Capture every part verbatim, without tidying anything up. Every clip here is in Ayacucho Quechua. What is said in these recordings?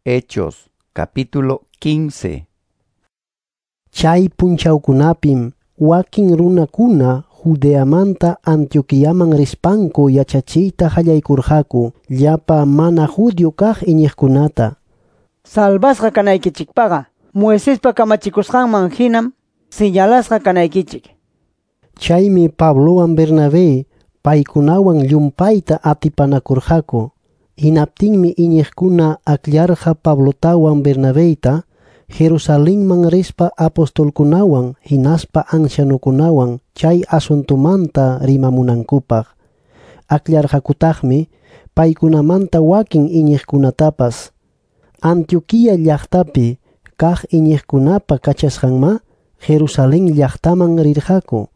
Hechos capítulo quince. Chay punchawkunapim wakin runakuna Judeamanta Antioquiaman rispanku yachachiyta qallaykurqaku llapa mana judío kaq iñiqkunata. Salvasqa kanaykichikpaqa Moisespa kamachikusqanman hinam señalasqa kanaykichik. Chaymi Pablowan Bernabé paykunawan llumpayta atipanakurqaku. Hinaptinmi iñiqkuna akllarqa Pablotawan Bernabeyta Jerusalenman rispa apostolkunawan hinaspa ancianokunawan chay asuntumanta rimamunankupaq. Akllarqakutaqmi paykunamanta wakin iñiqkunatapas. Antioquia llaqtapi kaq iñiqkunapa kachasqanma Jerusalén llaqtaman rirqaku.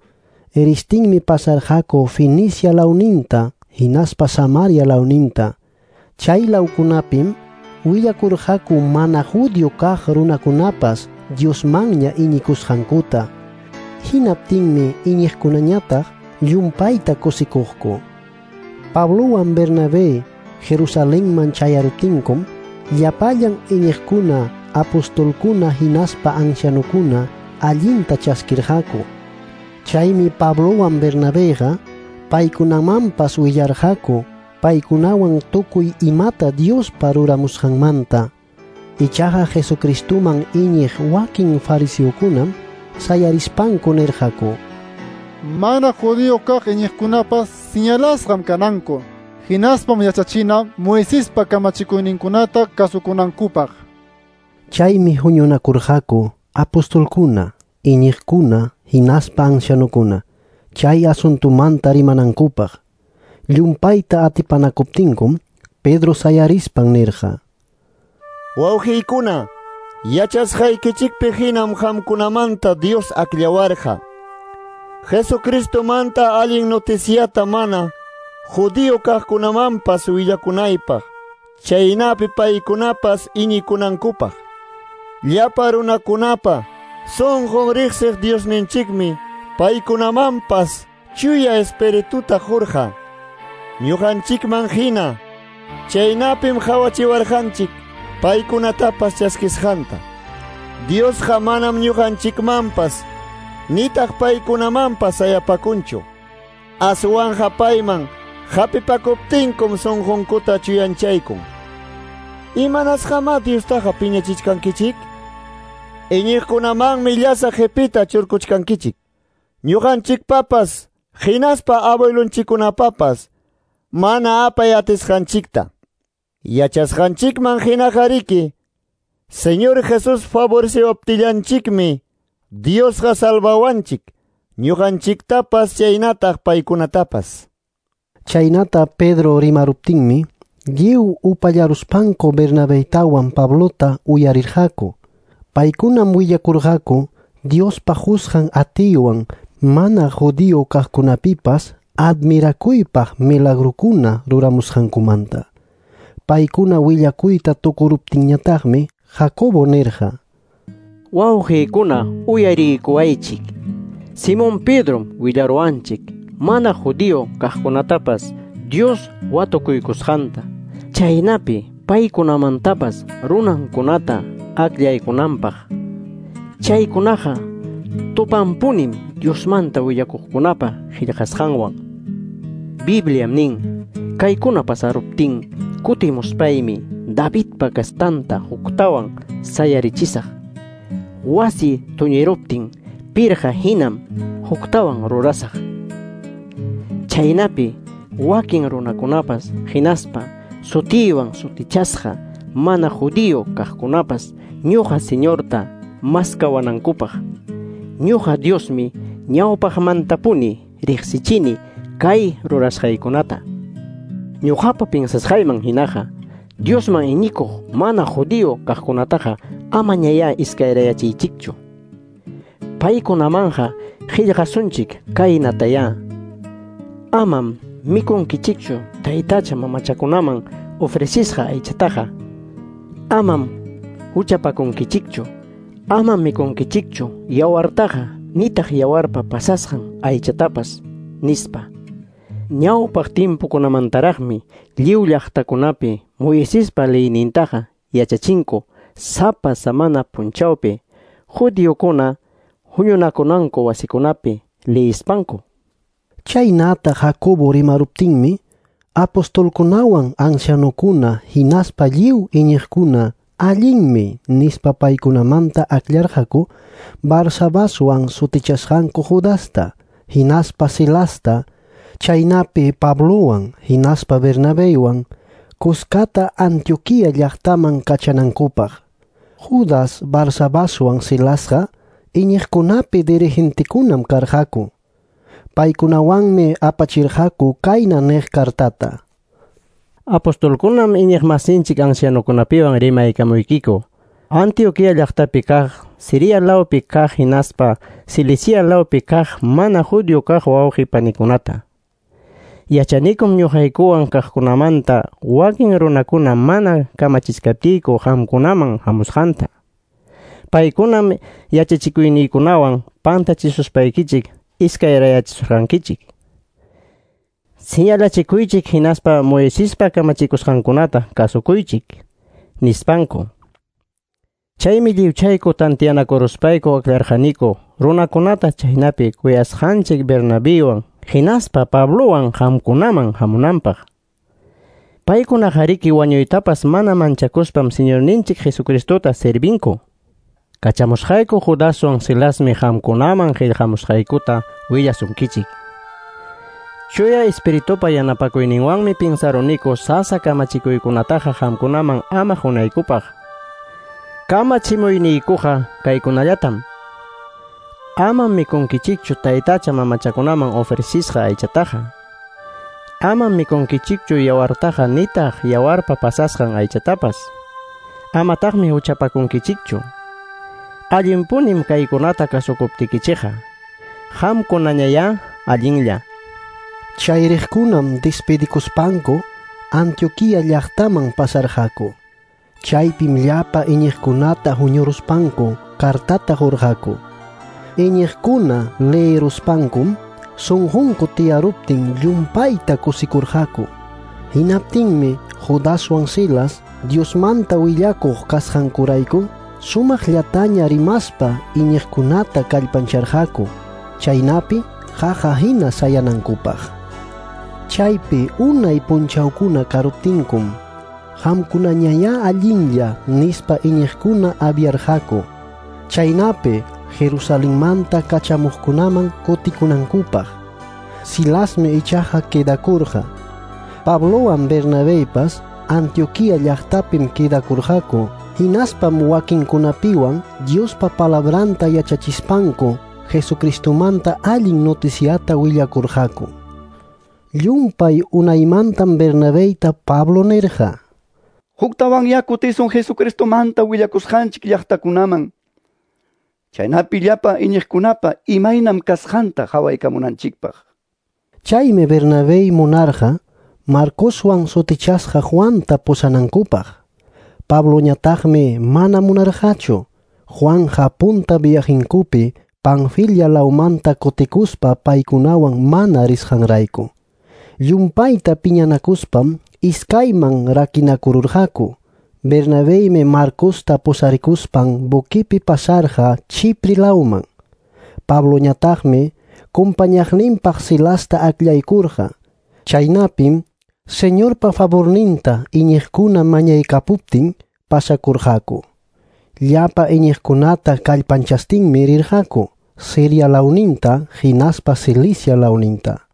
Eristinmi pasarqaku Fenicia lawninta hinaspa Samaria lawninta. Chay lawkunapim willakurqaku mana judío kaq runakunapas Diosmanña iñikusqankuta. Hinaptinmi iñiqkunañataq llumpayta kusikuqku. Pablowan Bernabé Jerusalenman chayaruptinkum llapallan iñiqkuna, apostolkuna hinaspa ancianokuna allinta chaskirqaku. Chaymi Pablowan Bernabéqa paykunamanpas willarqaku paykunawan tukuy imata Diospa ruramusqanmanta. Ichaqa Jesucristoman iñiq wakin fariseokunam sayarispanku nirqaku: Mana judío kaq iñiqkunapas señalasqam kananku, hinaspam yachachina Moisespa kamachikuyninkunata kasukunankupaq. Chaymi huñunakurqaku apostolkuna, iñiqkuna hinaspa ancianokuna chay asuntumanta rimanankupaq. Llumpayta atipanakuptinkum Pedro sayarispan nirqa: Wawqiykuna, yachasqaykichikpi hinam qamkunamanta Dios akllawarqa. Jesucristomanta allin noticiata mana judío kaqkunamanpas willakunaypaq, chaynapi paykunapas iñikunankupaq. Llapa runakunapa sunqun riqsiq Diosninchikmi paykunamanpas chuya espirituta qurqa. Ñuqanchikman hina, chaynapim qawachiwarqanchik paykunatapas chaskisqanta. Diosqa manam ñuqanchikmanpas nitaq paykunamanpas sayapakunchu. Aswanqa payman hapipakuptinkum sunqunkuta chuyanchaykun. Imanasqamá Diostaqa piñachichkankichik? Iñiqkunamanmi llasa qipita churkuchkankichik. Ñuqanchikpapas hinaspa abuelunchikkunapapas mana apay atisqanchikta. Yachasqanchikman hinaqariki, Señor Jesús favoreciwaptillanchikmi Diosqa salvawanchik, ñuqanchiktapas chaynataq paykunatapas. Chaynata Pedro rimaruptinmi lliw upallaruspanku Bernabeytawan Pablota uyarirqaku. Paykunam willakurqaku Diospa qusqan atiywan mana judío kaqkunapipas admirakuypaq milagrokuna ruramusqankumanta. Paykuna willakuyta tukuruptinñataqmi Jacobo nirqa: Wawqiykuna, uyariykuwaychik. Simón Pedrom willaruwanchik mana judío kaqkunatapas Dios watukuykusqanta, chaynapi paykunamantapas runankunata akllaykunanpaq. Chaykunaqa tupanpunim Diosmanta willakuqkunapa qillqasqanwan. Bibliam nin: kaykuna pasaruptin kutimuspaymi Davidpa kastanta huktawan sayarichisaq. Wasi tuñiruptin pirqa hinam huktawan rurasaq. Chaynapi wakin runakunapas hinaspa sutiywan sutichasqa mana judío kaqkunapas ñuqa Señorta maskawanankupaq. Ñuqa Diosmi ñawpaqmantapuni riqsichini kay rurasqaykunata. Ñuqapa pinsasqayman hinaqa Diosman iñikuq mana judío kaqkunataqa amañayá iskayrayachiychikchu. Paykunamanqa qillqasunchik kaynatayá: Amam mikunkichikchu taytacha mamachakunaman ofrecisqa aychataqa. Amam huchapakunkichikchu. Amam mikunkichikchu yawartaqa nitaq yawarpa pasasqan aychatapas, nispa. Ñawpaq timpukunamantaraqmi lliw llaqtakunapi Moisespa leynintaqa yachachinku sapa samana punchawpi judiokuna huñunakunanku wasikunapi liyispanku. Chaynata Jacobo rimaruptinmi apostolkunawan ancianokuna hinaspa lliw iñiqkuna allinmi nispa paykunamanta akllarqaku Barsabaswan sutichasqanku Judasta hinaspa Silasta, chaynapi Pablowan hinaspa Bernabeywan kuskata Antioquia llaqtaman kachanankupaq. Judas Barsabaswan Silasqa iñiqkunapi dirigentekunam karqaku. Paykunawanmi apachirqaku kayna niq kartata: Apostolkunam iñiqmasinchik ancianokunapiwan rimaykamuykiku. Antioquia llaqtapi kaq, Siria lawpi kaq hinaspa Cilicia lawpi kaq mana judío kaq wawqi panikunata. Yachanikum ñuqaykuwan kaqkunamanta wakin runakuna mana kamachichkaptiyku qamkunaman hamusqanta. Paykunam yachachikuyniykunawan pantachisuspaykichik iskayrayachisurqankichik. Señalachikuychik hinaspa Moisespa kamachikusqankunata kasukuychik, nispanku. Chaymi lliwchayku tantiyanakuruspayku aklarqaniku runakunata chaynapi kuyasqanchik Bernabiwan hinaspa Pablowan qamkunaman hamunanpaq. Paykunaqariki wañuytapas mana manchakuspam Señorninchik Jesucristota servinku. Kachamusqayku Judaswan Silasmi qamkunaman qillqamusqaykuta willasunkichik. Chuya Espiritupa yanapakuyninwanmi pinsaruniku sasa kamachikuykunataqa qamkunaman ama hunaykupaq. Kamachimuyniykuqa kaykunallatam: Amam mikunkichikchu taytacha mamachakunaman ofrecisqa aychataqa. Amam mikunkichikchu yawartaqa nitaq yawarpa pasasqan aychatapas. Amataqmi huchapakunkichikchu. Allinpunim kaykunata kasukuptikichikqa. Qamkunañayá allinlla. Chayriqkunam despedikuspanku Antioquia llaqtaman pasarqaku. Chaypim llapa iñiqkunata huñuruspanku kartata qurqaku. Iñiqkuna leeruspankum sunqunku tiyaruptin llumpayta kusikurqaku. Hinaptinmi Judaswan Silas Diosmanta willakuq kasqankurayku sumaqllataña rimaspa iñiqkunata kallpancharqaku, chaynapi qaqa hina sayanankupaq. Chaypi unay punchawkuna karuptinkum qamkunañayá allinlla nispa iñiqkuna aviarqaku, chaynapi Jerusalenmanta kachamuqkunaman kutikunankupaq. Silasmi ichaqa quedakurqa. Pablowan Bernabeypas Antioquia llaqtapim quedakurqaku, hinaspam wakinkunapiwan Diospa palabranta yachachispanku Jesucristomanta allin noticiata willakurqaku. Llumpay unaymantam Bernabeyta Pablo nirqa: Huktawan yakutisun Jesucristomanta willakusqanchik llaqtakunaman. Chaynapi llapa iñiqkunapa imaynam kasqanta qhawaykamunanchikpaq. Chaymi Bernabey munarqa Marcoswan sutichasqa Juanta pusanankupaq. Pabloñataqmi mana munarqachu. Juanja punta viajinkupi Panfilia lawmanta kutikuspa paykunawan mana risqanrayku. Llumpayta piñanakuspam iskayman rakinakururqaku. Bernabeymi Marcosta pusarikuspan buquipi pasarqa Chipre lawman. Pabloñataqmi kumpañaqninpaq Silasta akllaykurqa. Chaynapim Señorpa favorninta iñiqkuna mañaykapuptin pasakurqaku. Llapa iñiqkunata kallpanchastinmi rirqaku Siria lawninta hinaspa Cilicia lawninta.